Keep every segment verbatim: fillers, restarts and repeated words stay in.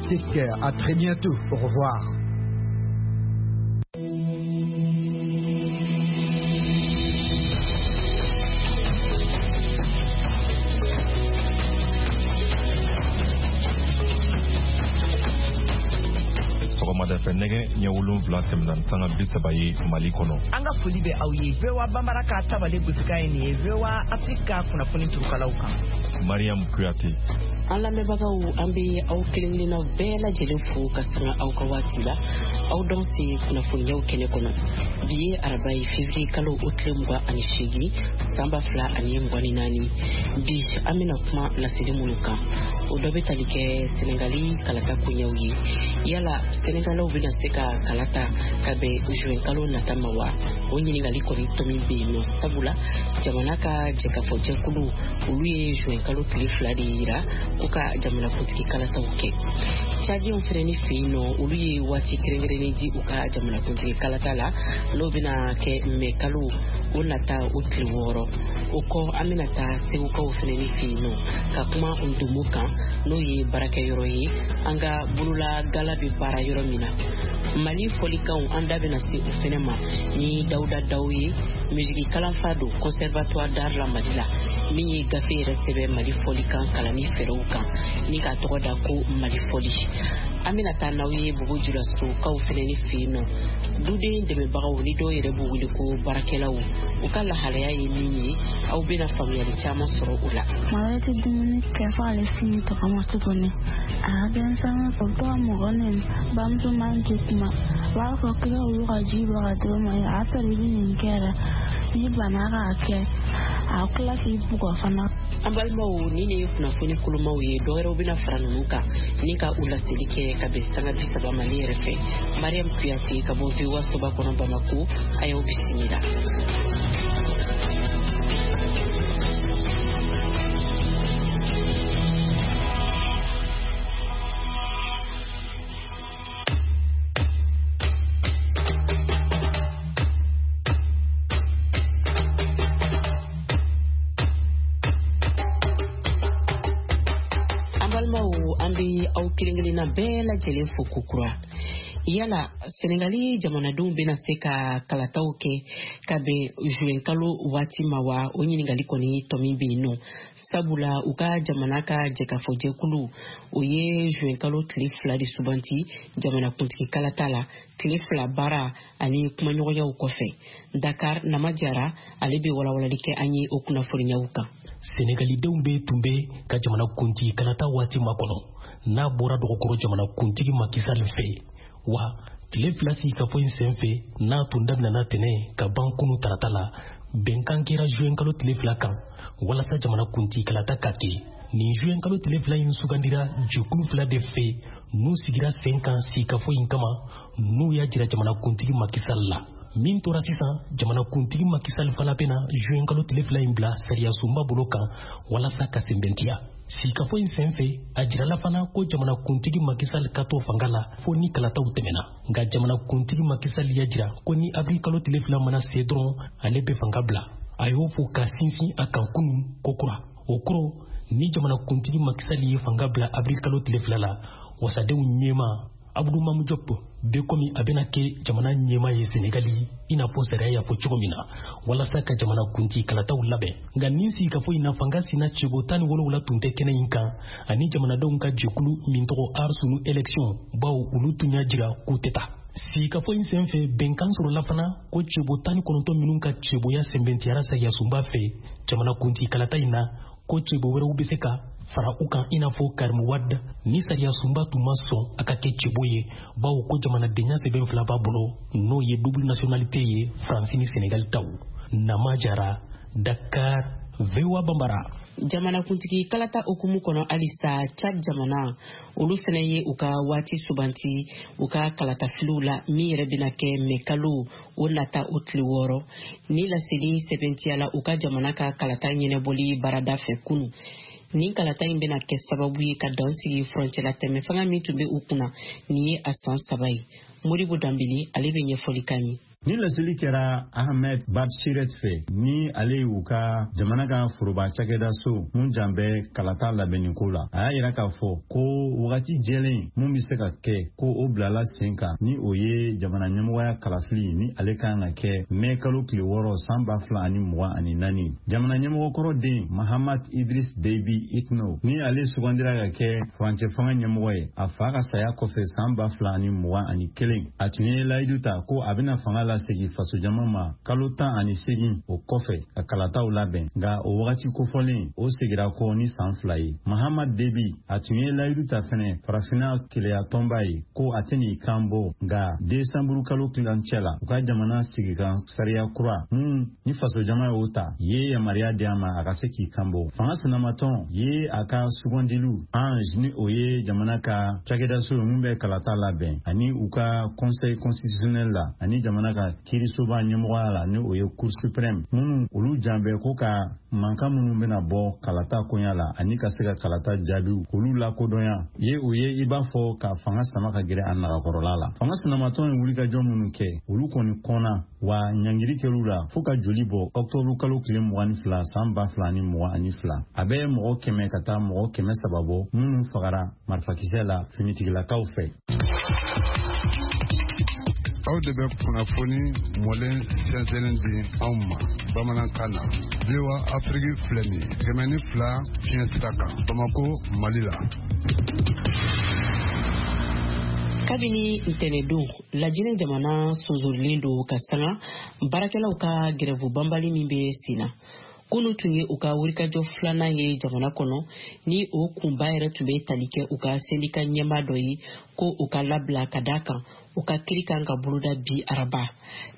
Take care. À très bientôt. Au revoir. Sɔgɔmada fɛ nɛgɛ ɲɛ wolonwula tɛmɛna ni sanga bi saba ye Mali kɔnɔ. An ka foli bɛ aw ye V O A Banbara ka tabale gosikan ye nin ye V O A Afrique ka kunnafoni turukalaw kan. Mariam Kuyate. An lamɛnbagaw, an bɛ aw kelen kelenna bɛɛ lajɛlen fo ka sanga aw ka waati la. Aw dɔn se kunnafoniyaw kɛnɛ kɔnɔ. Bi ye araba ye, fevrier kalo o tile mugan ani seegin, san ba fila ani mugan ni naani. Bi an bɛna kuma laseli minnu kan, o dɔ bɛ tali kɛ Senegali kalata koɲɛw ye. Yala Senegalaw bɛna se ka kala ta ka bɛn juin kalo nata ma wa? O ɲininkali kɔni tɔmi bɛ yen nɔ, sabula jamana ka jɛkafɔ jɛkulu, olu ye juin kalo tile fila de yira ko ka jamanakuntigi kalataw kɛ. Cadiyɛnw fɛnɛ ni fɛ yen nɔ, olu ye waati kɛrɛnkɛrɛnnen di u ka jamanakuntigi kalata la, n'o bɛna kɛ mɛ kalo o nata o tile wɔɔrɔ. O kɔ, an bɛna taa Segukaw fɛnɛ ni fɛ yen nɔ ka kuma ndomo kan, n'o ye baarakɛyɔrɔ ye, an ka bolola gala bɛ baara yɔrɔ min na. Mali fɔlikanw, an da bɛna se o fɛnɛ ma ni Dawuda Daw ye, musiki kalanfa don Conservatoire d'art la Mali la, min ye gafe yɛrɛ sɛbɛn Mali fɔlikan kalanni fɛɛrɛw kan ni k'a tɔgɔ da ko Mali fɔli. An bɛna taa n'aw ye Bobo Julasokaw fɛnɛ ni fɛ yen nɔ, duden dɛmɛbagaw ni dɔw yɛrɛ b'u wele ko baarakɛlaw, u ka lahalaya ye min ye, aw bɛna faamuyali caman sɔrɔ o la. Maa wɛrɛ tɛ dumuni kɛ fo ale sini tɔgɔma tuguni. A ka denmisɛnnin fɔ, u bɛ to ka mɔgɔ nɛni, bamuso man tɛ kuma. U b'a fɔ k'i ka wulu ka ji bɔ ka di o ma, a y'a sɔrɔ i bɛ nin kɛ yɛrɛ, n'i banna k'a kɛ, a tila k'i bugɔ fana. An balimaw, ni ne ye kunnafoni kolomaw ye. Dɔwɛrɛw bɛna fara ninnu kan ni ka u laseli kɛ ka bɛn sanga bi saba ma. Ne yɛrɛ fɛ, Mariam Kuyate, ka bɔ V O A soba kɔnɔ Bamako, a y'aw bisimila. An balimaw, an bɛ aw kelen kelenna bɛɛ lajɛlen fo kokura. Yala Senegali jamanadenw bɛna se ka kalataw kɛ ka bɛn juin kalo waati ma wa? O ɲininkali kɔni tɔmi bɛ yen nɔ, sabula u ka jamana ka jɛkafɔjɛkulu, o ye juin kalo tile fila de subanti jamanakuntigi kalata la, tile fila baara ani kumaɲɔgɔnyaw kɔfɛ. Dakar, Nama Jara, ale bɛ walawalali kɛ an ye o kunnafoniyaw kan. Senegalidenw bɛ tun bɛ ka jamanakuntigi kalata waati makɔnɔ, n'a bɔra dɔgɔkɔrɔ jamanakuntigi Macky Sall fɛ wa. Tile fila sigikafɔ in senfɛ, n'a tun daminɛna tɛnɛ ka ban kunu tarata la, bɛnkan kɛra juin kalo tile fila kan walasa jamanakuntigi kalata ka kɛ. Nin juin kalo tile fila in sugandira jɛkulu fila de fɛ n'u sigira sen kan sigikafɔ in kama, n'u y'a jira jamanakuntigi Macky Sall la. Min tora sisan, jamanakuntigi Macky Sall fana bɛna juin kalo tile fila in bila sariyasunba bolo kan walasa ka sɛmɛntiya. Sigikafɔ in senfɛ, a jirala fana ko jamanakuntigi Macky Sall ka to fanga la fo ni kalataw tɛmɛna. Nka jamanakuntigi Macky Sall y'a jira ko ni avril kalo tile fila mana se dɔrɔn, ale bɛ fanga bila. A y'o fɔ ka sinsin a kan kunun kokura. O kɔrɔ, ni jamanakuntigi Macky Sall ye fanga bila avril kalo tile fila la, wasadenw ɲɛma Abudu Mamu Diop bɛ komi a bɛna kɛ jamana ɲɛma ye Senegali, i n'a fɔ sariya y'a fɔ cogo min na, walasa ka jamanakuntigi kalataw labɛn. Nka nin sigikafɔ in na, fanga sina cɛbɔ tan ni wolonwula tun tɛ kɛnɛ in kan, ani jamanadenw ka jɛkulu min tɔgɔ Aar Sunu Élection, bawo olu tun y'a jira k'u tɛ taa. Sigikafɔ in senfɛ, bɛnkan sɔrɔla fana ko cɛbɔ tan ni kɔnɔntɔn minnu ka cɛbɔya sɛnbɛntiyara sariyasunba fɛ jamanakuntigi kalata in na, ko cɛbɔ wɛrɛw bɛ se ka fara u kan, i n'a fɔ Karimu Wade, ni sariyasunba tun ma sɔn a ka kɛ cɛbɔ ye, bawo ko jamanadenya sɛbɛn fila b'a bolo, n'o ye double nationalité ye, Faransi ni Senegali taw. Nama Jara, Dakar, V O A Bambara. Jamanakuntigi kalata hukumu kɔnɔ halisa, Chad jamana, olu fɛnɛ ye u ka waati subanti u ka kalatafiliw la, min yɛrɛ bɛna kɛ mɛ kalo o nata o tile wɔɔrɔ. Ni laseli sɛbɛntiyala u ka jamana ka kalata ɲɛnɛbɔli baarada fɛ kunu. Nin kalata in bɛna kɛ sababu ye ka dan sigi furancɛla tɛmɛ fanga min tun bɛ u kunna nin ye a san saba ye. Moribo Danbele, ale bɛ ɲɛfɔli k'an ye. Ni laseli kɛra Ahmed Batshiret fɛ, ni ale y'u ka jamana ka foroba cakɛdaso mun jan bɛ kalata labɛnniko la. A y'a yira k'a fɔ ko wagati jɛlen mun bɛ se ka kɛ ko o bilala sen kan, ni o ye jamana ɲɛmɔgɔya kalafili ni ale kan ka kɛ mɛ kalo tile wɔɔrɔ san ba fila ani mugan ani naani. Jamana ɲɛmɔgɔkɔrɔ den Mahamat Idriss Déby Itno, ni ale sugandira ka kɛ furancɛ fanga ɲɛmɔgɔ ye a fa ka saya kɔfɛ san ba fila ani mugan ani kelen, a tun ye layidu ta ko a bɛna fanga lasegin fasojama ma kalo tan ani seegin o kɔfɛ ka kalataw labɛn, nka o wagati kofɔlen o segira kɔ ni san fila ye. Mahamat Déby a tun ye layidu ta fɛnɛ farafinna keleya tɔnba ye ko a tɛn'i kan bɔ, nka desanburu kalo tilancɛ la u ka jamana sigikan sariya kura mun ni fasojama y'o ta ye yamaruya di a ma a ka se k'i kan bɔ. Fanga sinamatɔn ye a ka sugandiliw Ange, ni o ye jamana ka cakɛdaso ye mun bɛ kalata labɛn, ani u ka conseil constitutionnel la, ani jamana ka kiirisoba ɲɛmɔgɔya la, ni o ye cour suprême, minnu olu jan bɛ ko ka mankan minnu bɛna bɔ kalata koɲa la ani ka se ka kalata jaabiw k'olu lakodɔnya ye, o ye i b'a fɔ ka fanga sama ka gɛrɛ a nagakɔrɔla la. Fanga sinamatɔn ye wulikajɔ minnu kɛ, olu kɔni kɔnna wa ɲangiri kɛr'u la fo ka joli bɔ ɔktɔburu kalo tile mugan ni fila san ba fila ani mugan ani fila. A bɛ mɔgɔ kɛmɛ ka taa mɔgɔ kɛmɛ saba bɔ minnu fagara marifakisɛ la finitigilakaw fɛ. Aw de bɛ kunnafoni mɔlen sɛnsɛnnen di anw ma bamanankan na. V O A Afrique filɛ nin ye kɛmɛ ni fila fiɲɛ sira kan Bamako, Mali la. Kabini ntɛnɛdon, Lajinɛ jamana sonsorilen don ka sanga baarakɛlaw ka gɛrɛfu banbali min bɛ sen na. Kunu tun ye u ka wulikajɔ filanan ye jamana kɔnɔ, ni o kunba yɛrɛ tun bɛ tali kɛ u ka sendika ɲɛmaa dɔ ye ko u ka labila ka d'a kan u ka kiri kan ka boloda bi araba.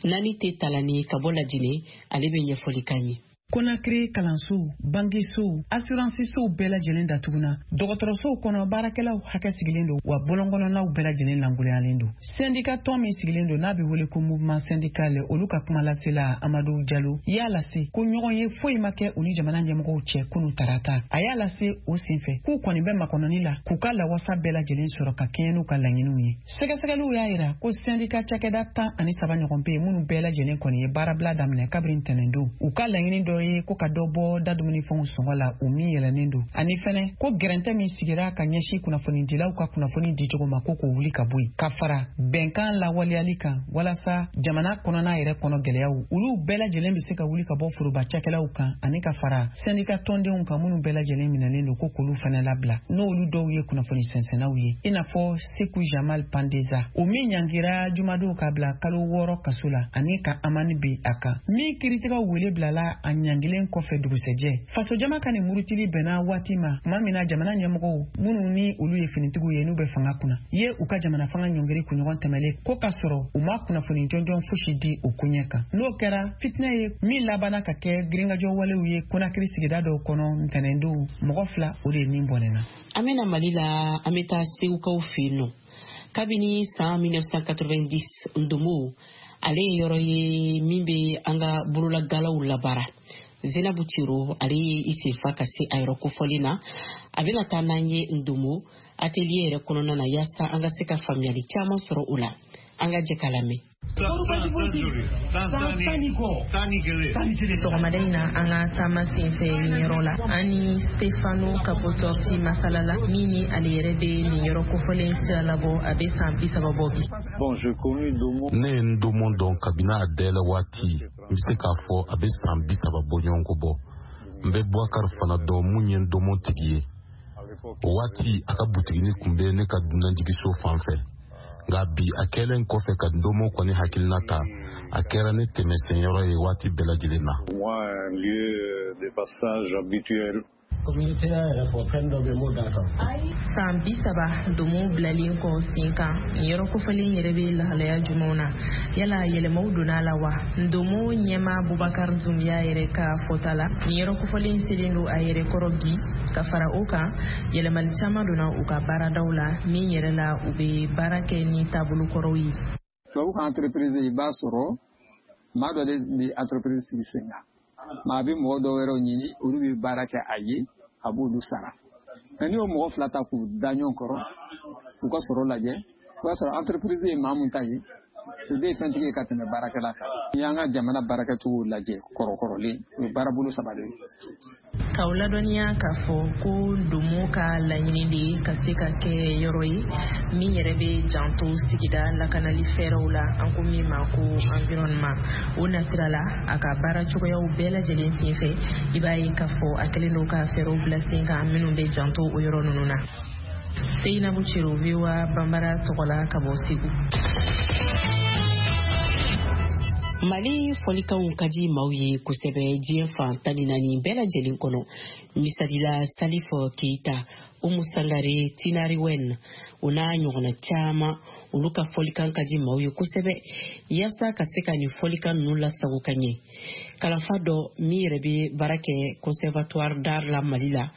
Nani tɛ talani ka bɔ Lajinɛ, ale bɛ ɲɛfɔli k'an ye. Konakiri kalansow, bangesow, assurancesow bɛɛ lajɛlen datuguna. Dɔgɔtɔrɔsow kɔnɔ baarakɛlaw hakɛ sigilen don, wa bɔlɔnkɔnɔnaw bɛɛ lajɛlen lankolonyalen don. Syndicat tɔn min sigilen don n'a bɛ wele ko mouvement syndical, olu ka kuma lasela Amadu Jalo y'a lase ko ɲɔgɔn ye foyi ma kɛ u ni jamana ɲɛmɔgɔw cɛ kunu tarata. A y'a lase o senfɛ k'u kɔni bɛ makɔnɔni la k'u ka lawasa bɛɛ lajɛlen sɔrɔ ka kɛɲɛ n'u ka laɲiniw ye. Sɛgɛsɛgɛliw y'a yira ko syndicat cakɛda tan ani saba ɲɔgɔn bɛ yen minnu bɛɛ lajɛlen kɔni ye baarabila daminɛ kabini ntɛnɛndon. U ka laɲini dɔ ye ko ka dɔ bɔ dadumunifɛnw sɔngɔ la o min yɛlɛnnen don, ani fɛnɛ ko gɛrɛntɛ min sigira ka ɲɛsin kunnafonidilaw ka kunnafoni dicogo ma ko k'o wuli ka bɔ yen, ka fara bɛnkan lawaleyali kan walasa jamana kɔnɔna yɛrɛ kɔnɔ gɛlɛyaw olu bɛɛ lajɛlen bɛ se ka wuli ka bɔ foroba cakɛlaw kan, ani ka fara sɛndika tɔndenw kan minnu bɛɛ lajɛlen minɛlen don ko k'olu fɛnɛ labila, n'olu dɔw ye kunnafoni sɛnsɛnnaw ye, i n'a fɔ Seku Jamal Pandeza, o min ɲangira jumadon ka bila kalo wɔɔrɔ kaso la ani ka amani bi a kan, min kiiritigɛw wele bilala a ɲangilen kɔfɛ dugusɛjɛ. Fasojama ka nin murutili bɛnna waati ma tuma min na jamana ɲɛmɔgɔw minnu ni olu ye finitigiw ye n'u bɛ fanga kunna ye u ka jamana fanga ɲɔngiri kunɲɔgɔn tɛmɛlen ko k'a sɔrɔ u ma kunnafoni jɔnjɔn fosi di o koɲɛ kan. N'o kɛra fitinɛ ye min labanna ka kɛ girinkajɔ walew ye Konakiri sigida dɔw kɔnɔ ntɛnɛndon, mɔgɔ fila o de ye nin bɔnɛna. An bɛna Mali la, an bɛ taa Segukaw fɛ yen nɔ. Kabini san mille neuf cent quatre-vingt-dix, Ndomo ale ye yɔrɔ ye min bɛ an ka bololagalaw labaara. Zenabu Tiro ale ye i senfa ka se a yɔrɔ kofɔlen na. A bɛna taa n'an ye Ndomo atelier yɛrɛ kɔnɔna na yaasa an ka se ka faamuyali caman sɔrɔ o la. An ka jɛ k'a lamɛn. Sɔgɔmada in na an ka taama senfɛ nin yɔrɔ la, an ni Stefano Capotorti masala la min ni ale yɛrɛ bɛ nin yɔrɔ kofɔlen sira labɔ, a bɛ san bi saba bɔ bi. Ne ye Ndomo dɔn kabini a dayɛlɛ waati, n bɛ se k'a fɔ a bɛ san bi saba bɔ ɲɔgɔn kɔ bɔ. N bɛ Boubacar fana dɔn mun ye Ndomo tigi ye. O waati a ka butigini tun bɛ ne ka dunanjigiso fan fɛ. Nka bi a kɛlen kɔfɛ ka Ndomo kɔni hakilina ta, a kɛra ne tɛmɛsenyɔrɔ ye waati bɛɛ lajɛlen na. San bi saba Ndomo bilalen kɔ sen kan, nin yɔrɔ kofɔlen yɛrɛ bɛ lahalaya jumɛnw na? Yala yɛlɛmaw donna a la wa? Ndomo ɲɛmaa Bubakar Zumbiya yɛrɛ ka fɔta la, nin yɔrɔ kofɔlen selen don a yɛrɛ kɔrɔ bi. Ka fara o kan, yɛlɛmali caman donna u ka baaradaw la min yɛrɛ la u bɛ baara kɛ ni taabolo kɔrɔw ye. Tubabu ka entreprise, i b'a sɔrɔ maa dɔ de bɛ entreprise sigi sen kan, maa bɛ mɔgɔ dɔw wɛrɛw ɲini, olu bɛ baara kɛ a ye, a b'olu sara. Mɛ n'i y'o mɔgɔ fila ta k'u da ɲɔgɔn kɔrɔ k'u ka sɔrɔ lajɛ, o b'a sɔrɔ entreprise ye maa mun ta ye, O de ye fɛntigi ye ka tɛmɛ baarakɛla kan. N'i y'an ka jamana baarakɛcogo lajɛ kɔrɔkɔrɔlen, o ye baarabolo saba de ye. K'aw ladɔnniya k'a fɔ ko ndomo ka laɲini de ye ka se ka kɛ yɔrɔ ye min yɛrɛ bɛ janto sigida lakanali fɛɛrɛw la, an ko min ma ko environnement. O nasira la, a ka baara cogoyaw bɛɛ lajɛlen senfɛ, i b'a ye k'a fɔ a kɛlen don ka fɛɛrɛw bila sen kan minnu bɛ janto o yɔrɔ ninnu na. Seyinabu Cero, V O A Banbara tɔgɔ la ka bɔ Segu. Mali fɔlikanw ka di maaw ye kosɛbɛ diɲɛ fan tan ni naani bɛɛ lajɛlen kɔnɔ. Misali la, Salif Keita, Umu Sangare, Tinariwen, o n'a ɲɔgɔnna caman, olu ka fɔlikan ka di maaw ye kosɛbɛ. Yaasa ka se ka nin fɔlikan ninnu lasago ka ɲɛ, kalanfa dɔ min yɛrɛ bɛ baara kɛ conservatoire d'art la Mali la,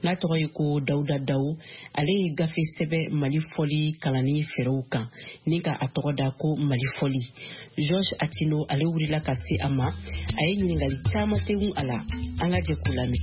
n'a tɔgɔ ye ko Dawuda Dawu, ale ye gafe sɛbɛn Mali fɔli kalanni fɛɛrɛw kan ni ka a tɔgɔ da ko Mali fɔli. Georges Atino, ale wulila ka se a ma, a ye ɲininkali caman tegun a la, an ka jɛ k'u lamɛn.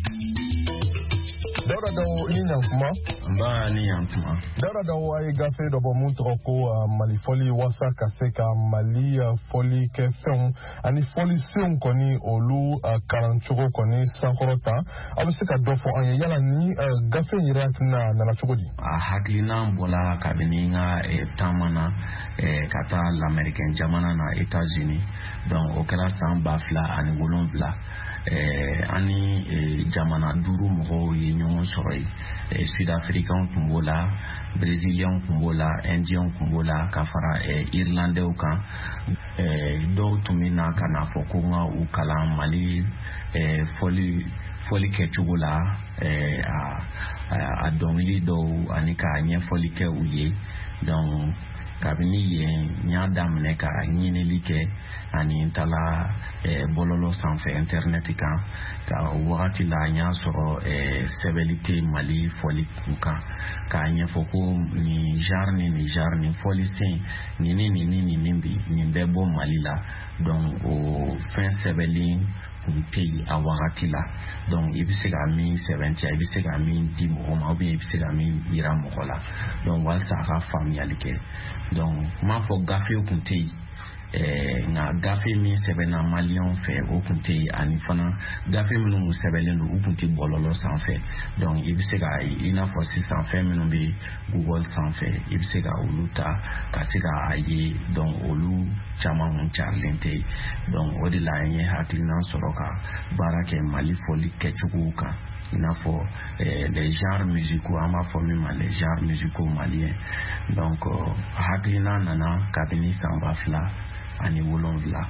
Dawuda Dawu, i ni ɲankuma. Nba, ni ɲankuma. Dawuda Dawu, a ye gafe dɔ bɔ mun tɔgɔ ko Mali fɔli, waasa ka se ka Mali fɔli kɛ fɛnw ani fɔlisenw kɔni olu kalancogo kɔni sankɔrɔta. A bɛ se ka dɔ fɔ an ye yala ni gafe in yɛrɛ hakilina nana cogo di? A hakilina bɔla kabini n ka taama na ka taa lamɛrikɛn jamana na, États-Unis. Donc o kɛra san ba fila ani wolonwula. An ni jamana duuru mɔgɔw ye ɲɔgɔn sɔrɔ yen. Sud-Africains tun b'o la, Brésiliens tun b'o la, Indiens tun b'o la, ka fara Irlandais kan. Dɔw tun bɛ na ka n'a fɔ ko n ka u kalan Mali fɔli fɔli kɛcogo la, a dɔnkili dɔw ani ka ɲɛfɔli kɛ u ye. Donc kabini yen n y'a daminɛ ka ɲinili kɛ ani n taala bɔlɔlɔ sanfɛ, internet kan. Ka o wagati la, n y'a sɔrɔ sɛbɛnni tɛ Mali fɔli kun kan, k'a ɲɛfɔ ko nin genre ni nin genre, nin fɔlisen nin ni nin ni nin nin bi nin bɛɛ bɔ Mali la. Donc o fɛn sɛbɛnni kun tɛ yen a wagati la. Donc i bɛ se ka min sɛbɛntiya, i bɛ se ka min di mɔgɔ ma, ou bien i bɛ se ka min yira mɔgɔ la, donc walasa a ka faamuyali kɛ. Donc n m'a fɔ gafe kun tɛ yen, nka gafe min sɛbɛnna maliyɛnw fɛ o kun tɛ yen, ani fana gafe minnu kun sɛbɛnlen don u kun tɛ bɔlɔlɔ sanfɛ. Donc i bɛ se ka, i n'a fɔ sisan fɛn minnu bɛ Google sanfɛ, i bɛ se ka olu ta ka se ka a ye. Donc olu caman kun carilen tɛ yen. Donc o de la n ye hakilina sɔrɔ ka baara kɛ Mali fɔli kɛcogow kan, i n'a fɔ les genres musicaux, an b'a fɔ min ma les genres musicaux maliens. Donc hakilina nana kabini san ba fila ani wolonwula.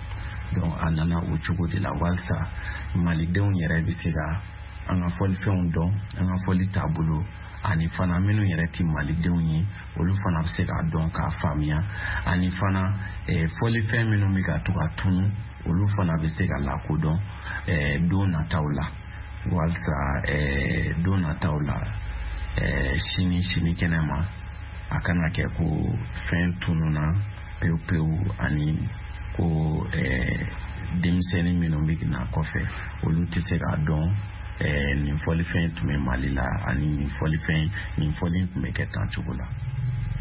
Donc a nana o cogo de la walasa malidenw yɛrɛ bɛ se ka an ka fɔlifɛnw dɔn, an ka fɔli taabolo, ani fana minnu yɛrɛ tɛ malidenw ye olu fana bɛ se k'a dɔn k'a faamuya, ani fana fɔlifɛn minnu bɛ ka to ka tunu olu fana bɛ se ka lakodɔn don nataw la, walasa don nataw la sini sinikɛnɛ ma a kana kɛ ko fɛn tununna pewu pewu, ani ko denmisɛnnin minnu bɛ na kɔfɛ olu tɛ se k'a dɔn nin fɔlifɛn tun bɛ Mali la ani nin fɔlifɛn nin fɔli tun bɛ kɛ tan cogo la.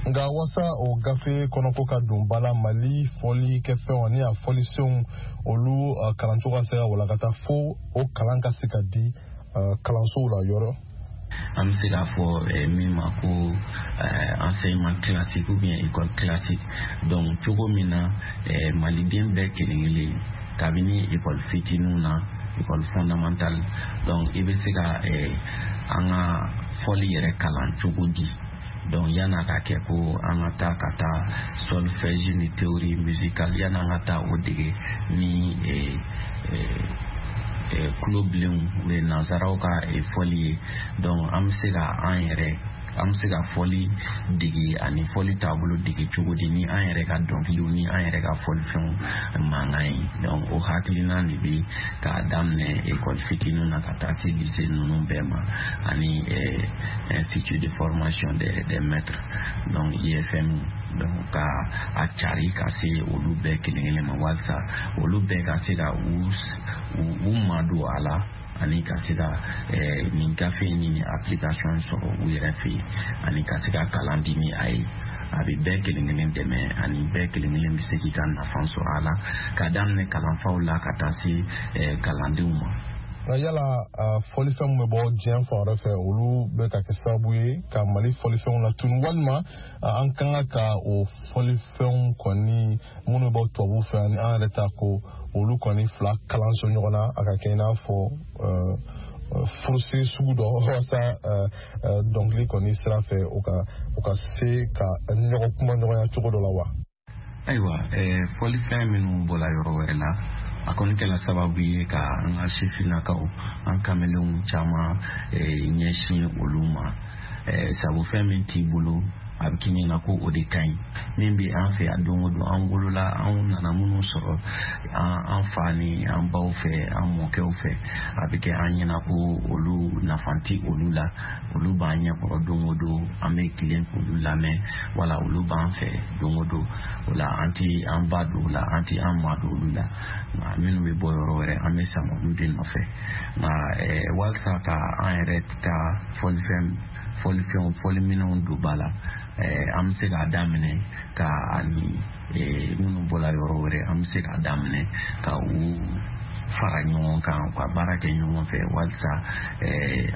Nka wasa o gafe kɔnɔko ka don ba la, Mali fɔli kɛfɛnw ani a fɔlisenw olu kalancogo ka se ka walakata fo o kalan ka se ka di kalansow la yɔrɔ. An bɛ se k'a fɔ min ma ko enseignement classique ou bien école classique. Donc cogo min na maliden bɛɛ kelen kelen kabini école fitininw na, école fondamentale, donc i bɛ se ka an ka fɔli yɛrɛ kalan cogo di. Donc yan'a ka kɛ ko an ka taa ka taa solfège ni théorie musicale, yan'an ka taa o dege ni kulo bilenw o ye nansaraw ka fɔli ye. Donc an bɛ se ka an yɛrɛ an bɛ se ka fɔli dege ani fɔli taabolo dege cogo di ni an yɛrɛ ka dɔnkiliw ni an yɛrɛ ka fɔlifɛnw mankan ye. Donc o hakilina de bɛ k'a daminɛ école fitininw na ka taa se lycée ninnu bɛɛ ma, ani institut de formation des des maîtres, donc I F M, donc ka a cari ka se olu bɛɛ kelen kelen ma, walasa olu bɛɛ ka se ka u u madon a la, ani ka se ka nin gafe ni nin application sɔrɔ u yɛrɛ fɛ yen, ani ka se ka kalan di ni a ye. A bɛ bɛɛ kelen kelen dɛmɛ, ani bɛɛ kelen kelen bɛ se k'i ka nafa sɔrɔ a la, ka daminɛ kalanfaw la ka taa se kalandenw ma. Nka yala fɔlifɛnw bɛ bɔ diɲɛ fan wɛrɛ fɛ, olu bɛ ka kɛ sababu ye ka Mali fɔlifɛnw latunu, walima an kan ka o fɔlifɛnw kɔni minnu bɛ bɔ tubabuw fɛ ani an yɛrɛ ta ko olu kɔni fila kalanso ɲɔgɔn na, a ka kɛ i n'a fɔ furusiri sugu dɔ, walasa dɔnkili kɔni sira fɛ o ka o ka se ka ɲɔgɔn kuma ɲɔgɔnya cogo dɔ la wa? Ayiwa, fɔlifɛn minnu bɔra yɔrɔ wɛrɛ la, a kɔni kɛla sababu ye ka an ka sifinnakaw, an kamelenw caman ɲɛsin olu ma. Sabu fɛn min t'i bolo, a bɛ k'i ɲɛna ko o de ka ɲi. Min bɛ an fɛ yan don o don, an wolola, an nana minnu sɔrɔ an fa ni an baw fɛ, an mɔkɛw fɛ, a bɛ kɛ an ɲɛna ko olu nafa ti olu la. Olu b'an ɲɛkɔrɔ don o don, an bɛ tilen k'olu lamɛn, wala olu b'an fɛ don o don. O la an ti an ba don o la, an ti an ma don olu la. Nka minnu bɛ bɔ yɔrɔ wɛrɛ, an bɛ sama olu de nɔfɛ. Nka walasa ka an yɛrɛ ka fɔlifɛn fɔlifɛnw fɔliminɛnw don ba la, an bɛ se k'a daminɛ ka ani minnu bɔra yɔrɔ wɛrɛ, an bɛ se k'a daminɛ ka u fara ɲɔgɔn kan, ka baara kɛ ɲɔgɔn fɛ, walasa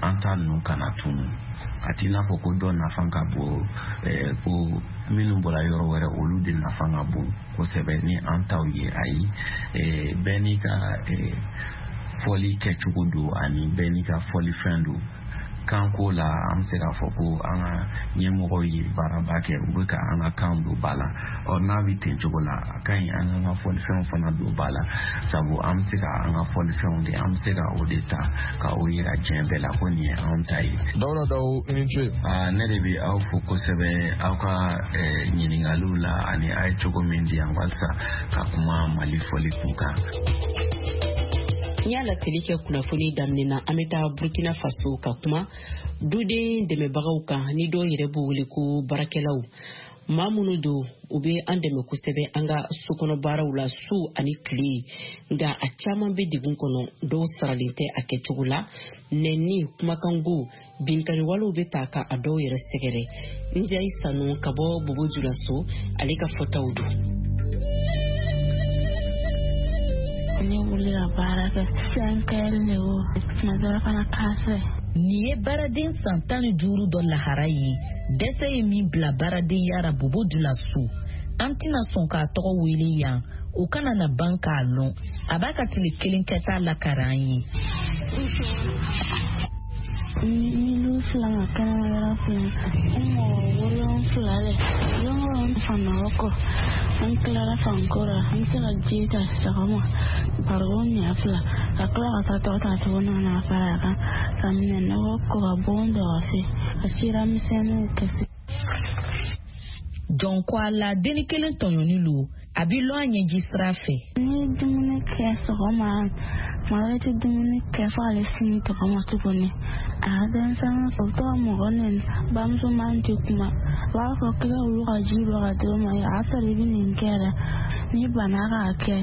an ta ninnu kana tunu. A t'i n'a fɔ ko dɔ nafa ka bon, ko minnu bɔra yɔrɔ wɛrɛ olu de nafa ka bon kosɛbɛ ni an taw ye. Ayi, bɛɛ n'i ka fɔli kɛcogo don, ani bɛɛ n'i ka fɔlifɛn don. Kanko la, an bɛ se k'a fɔ ko an ka ɲɛmɔgɔw ye baaraba kɛ, u bɛ ka an ka kan don ba la. Ɔ n'a bɛ ten cogo la, a ka ɲi an k'an ka fɔlifɛnw fana don ba la, sabu an bɛ se ka an ka fɔlifɛnw de, an bɛ se ka o de ta ka o yira diɲɛ bɛɛ la ko nin ye anw ta ye. Dawuda Dawu, i ni ce. Ne de bɛ aw fo kosɛbɛ aw ka ɲininkaliw la, ani a ye cogo min di yan walasa ka kuma Mali fɔli kun kan. N y'a laseli kɛ kunnafoni daminɛ na, an bɛ taa Burkina Faso ka kuma duden dɛmɛbagaw kan, ni dɔw yɛrɛ b'u wele ko baarakɛlaw. Maa minnu don, u bɛ an dɛmɛ kosɛbɛ an ka sokɔnɔ baaraw la su ani tile, nka a caman bɛ degun kɔnɔ, dɔw saralen tɛ a kɛcogo la, nɛni, kumakango, binkanniwalew bɛ ta ka a dɔw yɛrɛ sɛgɛrɛ. Njayi Sanu ka bɔ Bobo Julaso, ale ka fɔtaw don. Ne wuli ka baara kɛ cinq heures de o, tuma dɔ la fana quatre heures. Nin ye baaraden san tan ni duuru dɔ lahara ye, dɛsɛ ye min bila baaradenya ra Bobo Julaso. An tɛna sɔn k'a tɔgɔ wele yan, o kana na ban k'a lɔn. A b'a ka tile kelen kɛta lakari an ye. Ni fila ma kɛnɛma yɔrɔ fila, n mɔgɔ wolonfila de don o don fanɔgɔ kɔ, n tilara fanko la, n bɛ se ka ji ta sɔgɔma barikon ɲɛ fila, ka tila ka taa tɔ ta tuguni ka na fara a kan, ka minɛnɔgɔ ko ka bon dɔgɔsi, ka sira misɛnninw kɛsi. Jɔn ko a la, denni kelen tɔɲɔni lo, a bi lɔn a ɲɛji sira fɛ. Ni ye dumuni kɛ sɔgɔma, tuma dɔ i tɛ dumuni kɛ fo ale sini tɔgɔma tuguni. A ka denmisɛnnin u bɛ to ka mɔgɔ nɛni, bamuso man tɛ kuma, u b'a fɔ k'i ka wulu ka ji bɔ ka d'o ma, a y'a sɔrɔ i bɛ nin kɛ yɛrɛ, n'i banna k'a kɛ,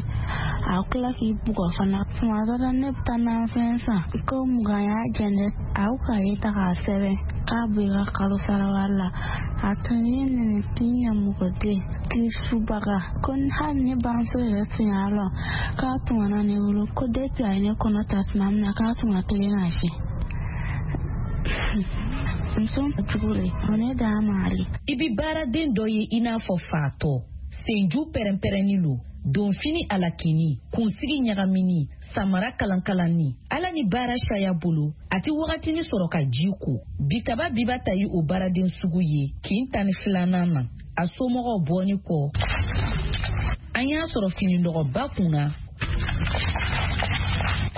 a tila k'i bugɔ fana. Tuma dɔ la ne bɛ taa nafɛn san, ko mugan y'a jɛn dɛ, a y'o kaye ta k'a sɛbɛn k'a bɔ i ka kalo sara wari la. A tun ye nɛni t'i ɲɛ mɔgɔ den k'i subaga, ko hali ne bamuso yɛrɛ tun y'a lɔn k'a tun kana ne wolo, ko depuis a ye ne kɔnɔ ta tuma min na k'a tun ka teli ka se. Muso jugu de, o ne d'a ma ale. I bi baaraden dɔ ye i n'a fɔ fatɔ, senju pɛrɛnpɛrɛnni lo, donfini alakini, kunsigi ɲagamini, samara kalankalanni. Ala ni baara saya bolo, a ti wagatini sɔrɔ ka ji ko. Bitaba biba ta ye o baaraden sugu ye kin tan ni filanan na. A somɔgɔw bɔni kɔ, an y'a sɔrɔ finidɔgɔba kunna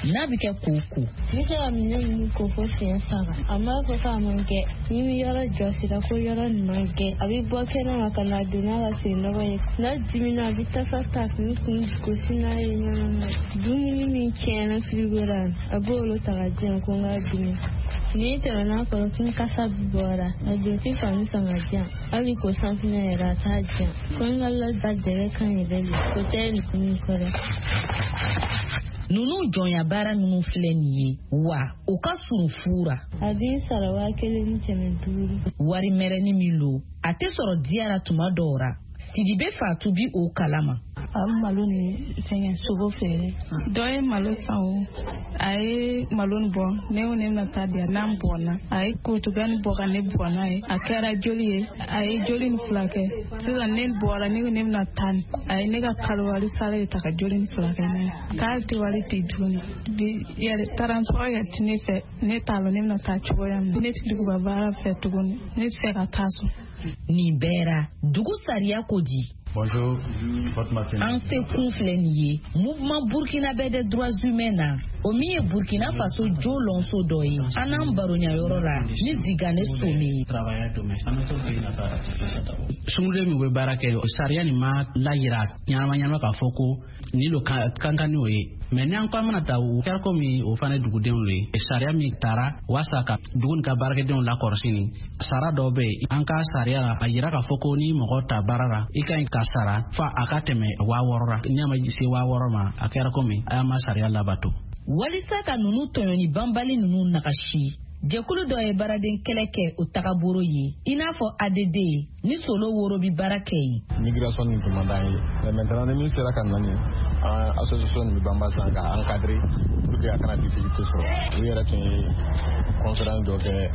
n'a bɛ kɛ k'o ko. N bɛ se ka minɛn ninnu ko fo siɲɛ saba. A m'a fɔ k'a man kɛ. Ni bɛ yɔrɔ jɔsira ko yɔrɔ nin man kɛ, a bɛ bɔ kɛnɛ ma ka na don n'a ka sennɔgɔ ye. N'a dimina, a bɛ tasa ta k'i kun gosi n'a ye ɲɛnama. Dumuni min tiɲɛna firigo la, a b'olu ta ka di yan ko n k'a dun. N'i tɛmɛna a kɔrɔ ko kasa bɔra, a don tɛ fani san ka di yan. Hali ko sanfinɛ yɛrɛ a t'a di yan. Ko n ka lada jɛgɛ kan yɛrɛ de, o tɛ nin kɔrɔ. Ninnu jɔnya baara minnu filɛ nin ye, wa o ka surun fu ra. A b'i sara waa kelen ni kɛmɛ duuru. Wari mɛrɛni min lo, a tɛ sɔrɔ diya ra tuma dɔw ra. Sidibe Fatu bi o kalama. A bɛ malo ni fɛngɛ sogo feere. Dɔ ye malo san o, a ye malo nin bɔ, ne ko ne bɛna taa di yan, n'an bɔnna a ye kurutuga nin bɔ ka ne bugɔ n'a ye, a kɛra joli ye, a ye joli nin fila kɛ. Sisan ne bɔra, ne ko ne bɛna taa nin, a ye ne ka kalo wari sara de ta ka joli nin fila kɛ n'a ye. K'ale tɛ wari di tuguni. Bi yɛrɛ taransɔrɔ yɛrɛ ti ne fɛ, ne t'a lɔn ne bɛna taa cogoya min na. Ne tɛ duguba baara fɛ tuguni, ne tɛ fɛ ka taa so. Nin bɛɛ ra, dugu sariya ko di? Bonjour, votre matinée. An se kun filɛ nin ye Mouvement burkinabé des droits humains na, o min ye Burkina Faso jo lɔnso dɔ ye. An n'an baroɲa yɔrɔ la ni Zigane Some ye. Sunguruden min bɛ baara kɛ, sariya nin ma layira ɲɛnama ɲɛnama k'a fɔ ko nin lo kan kan n'o ye. Mais n'an ko an mana ta, o kɛra komi o fana ye dugudenw le ye. Sariya min taara walasa ka dugu nin ka baarakɛdenw lakɔlɔsi, nin sara dɔw bɛ yen an ka sariya la, a yira k'a fɔ ko ni mɔgɔ ta baara la, i ka ɲi ka sara fo a ka tɛmɛ waa wɔɔrɔ la. N'i ma se waa wɔɔrɔ ma, a kɛra komi a ma sariya labato. Walisa ka ninnu tɔɲɔni banbali ninnu nagasi, jɛkulu dɔ ye baaraden kɛlɛ kɛ o tagabolo ye, i n'a fɔ A D D ni Solo Woro bi baara kɛ yen. Migration nin tun man d'an ye, mais maintenant ni min sera ka na nin, an association nin bɛ banba sisan ka encadrer pour que a kana difficulté sɔrɔ. U yɛrɛ tun ye conférence dɔ kɛ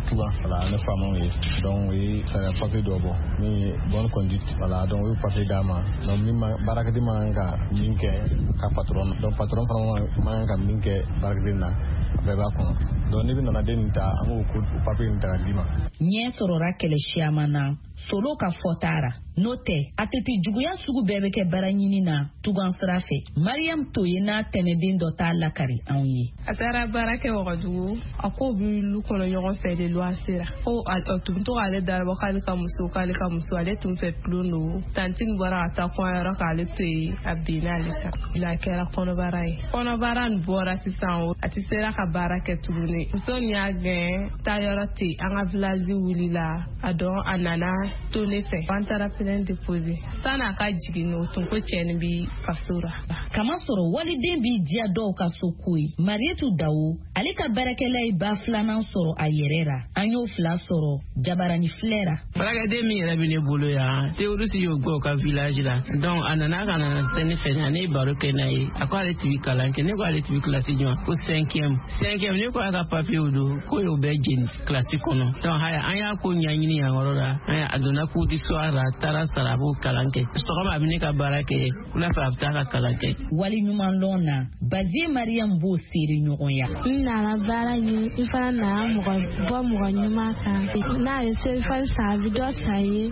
Tuba, voilà, ne faamaw ye, donc u ye sariya papier dɔ bɔ min ye bonne conduite, voilà, donc u ye papier d'a ma, donc min ma baarakɛden man kan ka min kɛ ka patron na, donc patron fana man kan ka min kɛ baarakɛden na, a bɛɛ b'a kɔnɔ. Donc n'i bɛ nana den nin ta, an b'o ko papier nin ta ka d'i ma. Ɲɛ sɔrɔra kɛlɛ siyaman na Solo ka fɔta ra. N'o tɛ, a tɛ juguya sugu bɛɛ bɛ kɛ baara ɲini na tugan sira fɛ. Mariam Toye n'a tɛnɛden dɔ t'a lakari anw ye. A taara baara kɛ Wagadugu, a k'o bɛ lu kɔnɔ ɲɔgɔn fɛ de luwanse la. Ko a tun bɛ to k'ale darabɔ k'ale ka muso k'ale ka muso, ale tun fɛ tulon don. Tantine bɔra ka taa kɔɲɔyɔrɔ k'ale to yen, a binna ale kan. A kɛra kɔnɔbara ye. Kɔnɔbara nin bɔra sisan o, a tɛ sera ka baara kɛ tuguni. Muso nin y'a gɛn, taayɔrɔ tɛ yen, an ka village wulila, a dɔn a nana to ne fɛ. An taara plainte déposer. San'a ka jigin, o tun ko cɛ nin bi faso la. Kamasɔrɔ waliden b'i diya dɔw ka so ko ye. Marietu Dawo, ale ka baarakɛla ye ba filanan sɔrɔ a yɛrɛ ra. An y'o fila sɔrɔ jabarani filɛ ra. Baarakɛden min yɛrɛ bɛ ne bolo yan, terroriste y'o gɛn o ka village la. Donc a nana ka na se ne fɛ, ne ye baro kɛ n'a ye. A ko ale tun bɛ kalan kɛ, ne ko ale tun bɛ kilasi jumɛn? Ko cinquième. Cinquième, ne ko a ka papier don, ko y'o bɛɛ jeni kilasi kɔnɔ. Donc haya, an y'a ko ɲɛɲini yan yɔrɔ la. A donna cours du soir la, a taara sara, a b'o kalan kɛ. Sɔgɔma a bɛ ne ka baara kɛ, wula fɛ a bɛ taa ka kalan kɛ. Wali ɲuman lɔn na, Bazie Mariam b'o seere ɲɔgɔnya. N nana baara ɲini, n fana nana mɔgɔ bɔ mɔgɔ ɲuman kan. N'a ye selifani san, a bɛ dɔ san ye.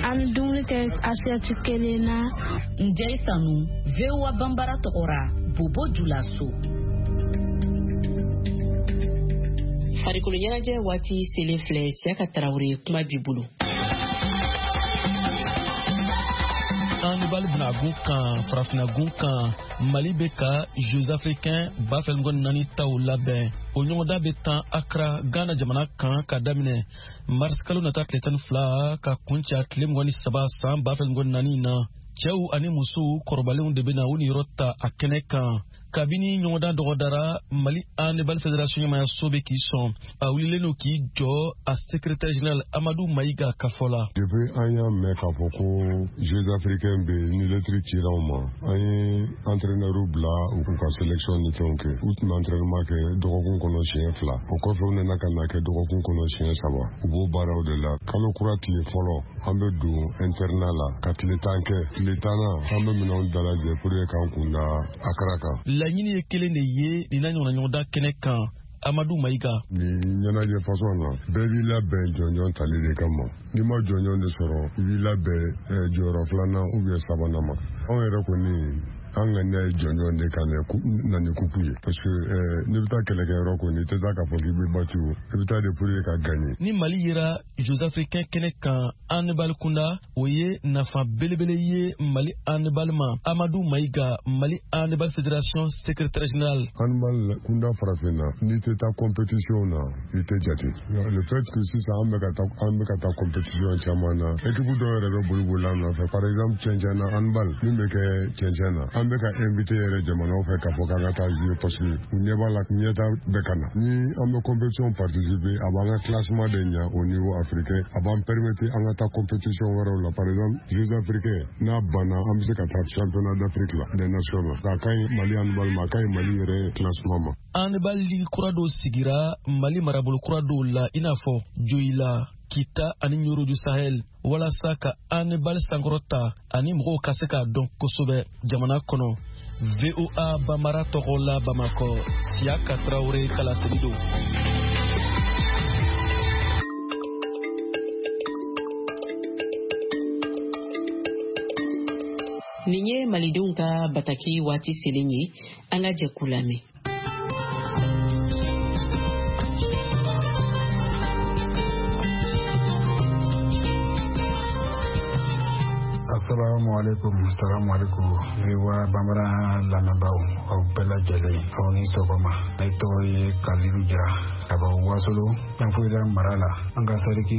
An bɛ dumuni kɛ assiette kelen na. Njɛyi Sanu, V O A Banbara tɔgɔ ra, Bobo Julaso. Farikolo ɲɛnajɛ waati selen filɛ, Siyaka Tarawele, kuma b'i bolo. Handball bɛna gun kan, farafinna gun kan, Mali bɛ ka Jeux africains ba fila mugan ni naani taw labɛn. O ɲɔgɔndan bɛ tan Accra, Ghana jamana kan ka daminɛ mars kalo nata tile tan ni fila ka kuncɛ tile mugan ni saba san ba fila mugan ni naani na. Cɛw ani musow kɔrɔbalenw de bɛna u niyɔrɔ ta a kɛnɛ kan. Kabini ɲɔgɔndan dɔgɔdara, Mali Handball Fédération ɲɛmayaso bɛ k'i sɔn. A wulilen don k'i jɔ a secrétaire général Amadou Maïga ka fɔ la. Depuis an y'a mɛn k'a fɔ ko Jeux africains bɛ yen, ni lettre cira u ma, an ye entraîneur bila u k'u ka sélection ni fɛnw kɛ. U tun bɛ entraînement kɛ dɔgɔkun kɔnɔ siɲɛ fila. O kɔfɛ u nana ka na kɛ dɔgɔkun kɔnɔ siɲɛ saba. U b'o baaraw de la. Kalo kura tile fɔlɔ, an bɛ don internat la ka tile tan kɛ. Tile tannan, an bɛ minɛnw dalajɛ pour que k'an kun da Accra kan. Laɲini ye kelen de ye nin n'a ɲɔgɔnna ɲɔgɔndan kɛnɛ kan. Amadou Maïga. Nin ɲɛnajɛ fasɔn na, bɛɛ b'i labɛn jɔnjɔn tali de kama. N'i ma jɔnjɔn de sɔrɔ, i b'i labɛn jɔyɔrɔ filanan ou bien sabanan ma. Anw yɛrɛ kɔni, an ŋaniya ye jɔnjɔn de ka na ni kupu ye, parce que n'i bɛ taa kɛlɛkɛyɔrɔ kɔni, i tɛ taa k'a fɔ k'i bɛ battu, i bɛ taa de pour que ka gagner. Ni Mali yera Jeux africains kɛnɛ kan handball kunda, o ye nafa belebele ye Mali handball ma. Amadou Maïga, Mali Handball Fédération secrétaire général. Handball kunda farafinna, n'i tɛ taa compétition na, i tɛ jate. Le fait que sisan an bɛ ka taa an bɛ ka taa compétition caman na, équipe dɔw yɛrɛ bɛ boli boli an nɔfɛ. Par exemple, cɛncɛn na handball min bɛ kɛ cɛncɛn na, An bɛ ka invité yɛrɛ jamanaw fɛ k'a fɔ k'an ka taa jouer parce que u ɲɛ b'a la ɲɛta bɛ ka na. Ni an bɛ compétition participer, a b'an ka classement de ɲa au niveau africain, a b'an permettre an ka taa compétition wɛrɛw la. Par exemple, Jeux africains n'a banna, an bɛ se ka taa championnat d'Afrique la des nations la. A ka ɲi Mali handball ma, a ka ɲi Mali yɛrɛ classement ma. Handball ligue kura dɔw sigira Mali marabolo kura dɔw la, i n'a fɔ Joyila, Kita ani Nioro du Sahel, walasa ka handball sankɔrɔta ani mɔgɔw ka se k'a dɔn kosɛbɛ jamana kɔnɔ. V O A Bambara tɔgɔ la Bamakɔ, Siaka Traoré kalaseli don. Nin ye malidenw ka bataki waati selen ye, an ka jɛ k'u lamɛn. Assalamu alaikum, assalamu alaikum. V O A Bambara lamɛnbaaw, aw bɛɛ lajɛlen, aw ni sɔgɔma. Ne tɔgɔ ye Kalilu Jara ka bɔ Wasolo, Yanfolila mara la. An ka sariki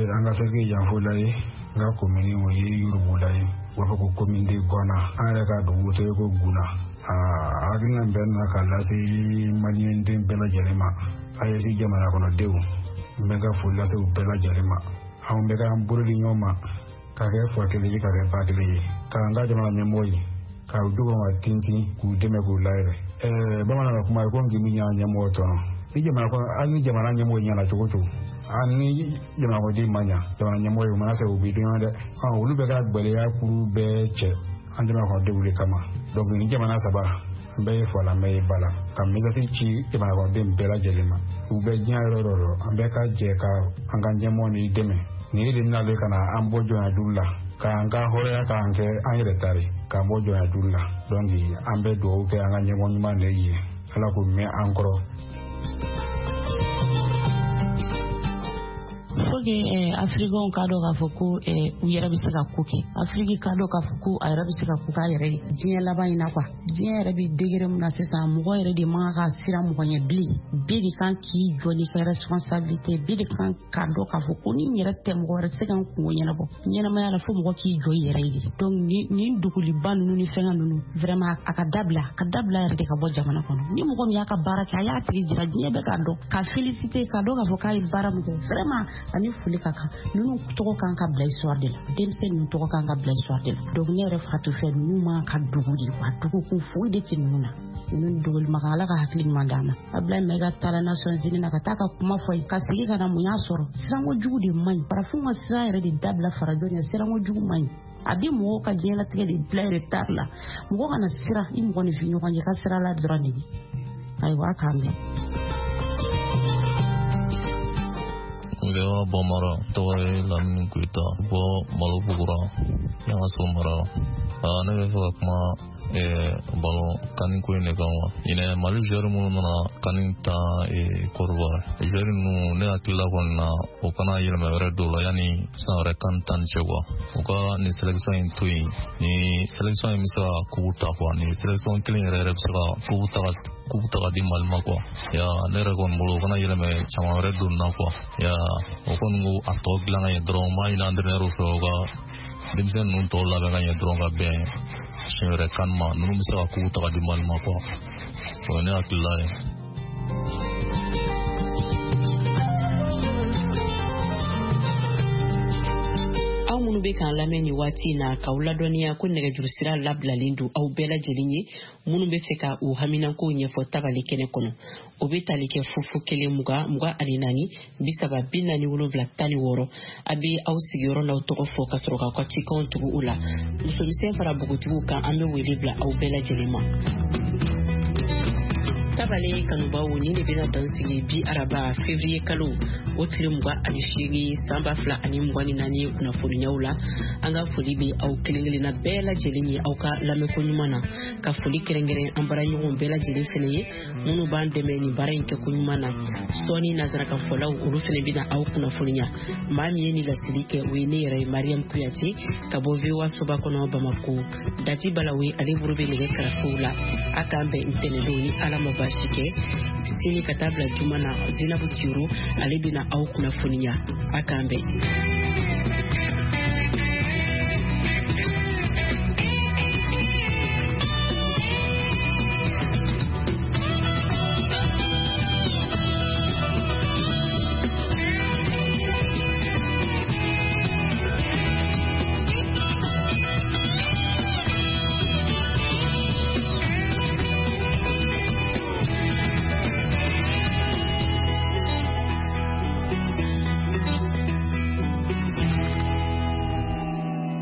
an ka sariki Yanfolila ye, an ka komini o ye Yorobula ye. U b'a fɔ ko commune de Guana. An yɛrɛ ka dugu tɔgɔ ye ko Guna. Aa hakilina bɛɛ nana ka lase maliyɛnden bɛɛ lajɛlen ma. A ye jamana kɔnɔdenw, n bɛ ka foli lase u bɛɛ lajɛlen ma. Anw bɛ k'an bolo di ɲɔgɔn ma, ka kɛ fa kelen ye, ka kɛ ba kelen ye, k'an ka jamana ɲɛmɔgɔ ye, k'u dugawu ka tintin, k'u dɛmɛ, k'u layɛlɛ. Ɛɛ bamanan ka kuma ye ko ngi min y'an ɲɛmɔgɔ tɔnɔ. Ni jamana kɔnɔ, hali ni jamana ɲɛmɔgɔ ɲɛna cogo cogo, hali ni jamana kɔnɔden ma ɲa, jamana ɲɛmɔgɔ ye u mana se u b'i dɔn dɛ. Olu bɛ ka gwɛlɛya kuru bɛɛ cɛ an jamana kɔnɔdenw de kama. Donc ni jamana saba, n bɛɛ ye fa la, n bɛɛ ye ba la, ka message ci jamana kɔnɔden bɛɛ lajɛlen ma. U bɛ diɲɛ yɔrɔ o yɔrɔ, an bɛɛ ka jɛ ka an ka ɲɛmɔgɔ ni dɛmɛ. Nin de bɛna le ka na an bɔ jɔnya juru la, k'an ka hɔrɔnya k'an kɛ an yɛrɛ ta ye, k'an bɔ jɔnya juru la. Donc an bɛ dugawu kɛ an ka ɲɛmɔgɔ ɲuman de ye, Ala k'o mɛn an kɔrɔ. Faut que eh, Africains k'a dɔn k'a fɔ ko eh, u yɛrɛ bɛ se ka ko kɛ. Afrique k'a dɔn k'a fɔ ko a yɛrɛ bɛ se ka ko k'a yɛrɛ ye diɲɛ laban in na quoi. Diɲɛ yɛrɛ bɛ degré min na sisan, mɔgɔ yɛrɛ de man kan ka siran mɔgɔ ɲɛ bilen. Bɛɛ de kan k'i jɔ n'i ka responsabilité, bɛɛ de kan k'a dɔn k'a fɔ ko ni n yɛrɛ tɛ, mɔgɔ wɛrɛ tɛ se ka n kungo ɲɛnabɔ. Ɲɛnamaya la fo mɔgɔ k'i jɔ i yɛrɛ ye de. Donc nin dogoliba ninnu ni fɛngɛ ninnu vraiment a ka dabila, a ka dabila yɛrɛ de ka bɔ jamana kɔnɔ. Ni mɔgɔ min y'a ka baara kɛ, a y'a tigi jira diɲɛ bɛɛ k'a dɔn, k'a féliciter, k'a dɔn k'a fɔ k'a ye baara min kɛ vraiment. Ani foli ka kan, ninnu tɔgɔ kan ka bila histoire de la, denmisɛn ninnu tɔgɔ kan ka bila histoire de la. Donc ne yɛrɛ Fatou fɛ, ninnu man ka dogo de wa, dogokun foyi de tɛ ninnu na. Ninnu dogoli ma kan, Ala ka hakili ɲuman d'an ma. Ablaye Maïga taara Nations Unies na ka taa ka kuma fɔ ye, ka segin ka na mun y'a sɔrɔ. Siranko jugu de man ɲi, farafinw ka siran yɛrɛ de dabila farajɔ ɲɛ, siranko jugu man ɲi. A bɛ mɔgɔw ka diɲɛlatigɛ de bila retard la. Mɔgɔ kana siran i mɔgɔninfin ɲɔgɔn ye, ka sira la dɔrɔn de ye. Ayiwa, a k'an bɛn. V O A Bambara tɔgɔ ye Lamini Goyita, bɔ Malobugura, Yangaso mara la. Ne bɛ fɛ ka kuma balon kani ko in de kan wa. Ɲinɛ Mali joueur minnu nana kani ta Côte d'Ivoire, joueur ninnu ne hakilila kɔni na, o kana yɛlɛma wɛrɛ don la yanni san wɛrɛ kan tan ni cɛ quoi. U ka nin sélection in to yen, ni sélection in bɛ se ka coupe ta quoi, ni sélection kelen yɛrɛ yɛrɛ bɛ se ka coupe ta coupe ta ka di Mali ma quoi. Ya ne yɛrɛ kɔni bolo, o kana yɛlɛma caman wɛrɛ don na quoi. Ya o kɔni ko a tɔ dilan ka ɲɛ dɔrɔn, n b'a ɲini entraîneur fɛ u ka denmisɛnnin ninnu tɔw labɛn ka ɲɛ dɔrɔn ka bɛn siɲɛ wɛrɛ kan ma, ninnu bɛ se ka coupe ta ka di Mali ma quoi. O ye ne hakilila ye. Aw minnu bɛ k'an lamɛn nin waati in na, k'aw ladɔnniya ko nɛgɛjuru sira labilalen don aw bɛɛ lajɛlen ye minnu bɛ fɛ ka u haminankow ɲɛfɔ tabali kɛnɛ kɔnɔ. O bɛ tali kɛ fufu kelen mugan mugan ani naani bi saba bi naani wolonwula tan ni wɔɔrɔ. A bɛ aw sigiyɔrɔ n'aw tɔgɔ fɔ ka sɔrɔ k'aw ka cikanw tugu o la. Musomisɛn fara npogotigiw kan, an bɛ wele bila aw bɛɛ lajɛlen ma. Tabale kanubaw, nin de bɛna dan sigi bi araba février kalo o tile mugan ani seegin san ba fila ani mugan ni naani kunnafoniyaw la. An ka foli bɛ aw kelen kelenna bɛɛ lajɛlen ye aw ka lamɛnko ɲuman na, ka foli kɛrɛnkɛrɛn an baaraɲɔgɔnw bɛɛ lajɛlen fɛnɛ ye minnu b'an dɛmɛ nin baara in kɛko ɲuman na. Sɔɔni nansarakanfɔlaw olu fɛnɛ bɛna aw kunnafoniya. Maa min ye nin laseli kɛ, o ye ne yɛrɛ ye Mariam Kuyate ka bɔ V O A soba kɔnɔ Bamako. Dati Balawe ale bolo bɛ nɛgɛ karafew la. A k'an bɛn ntɛnɛndon ni Ala ma baasi kɛ. Sini ka taa bila juma na, Zenabu Tiro ale bɛna aw kunnafoniya. A k'an bɛn.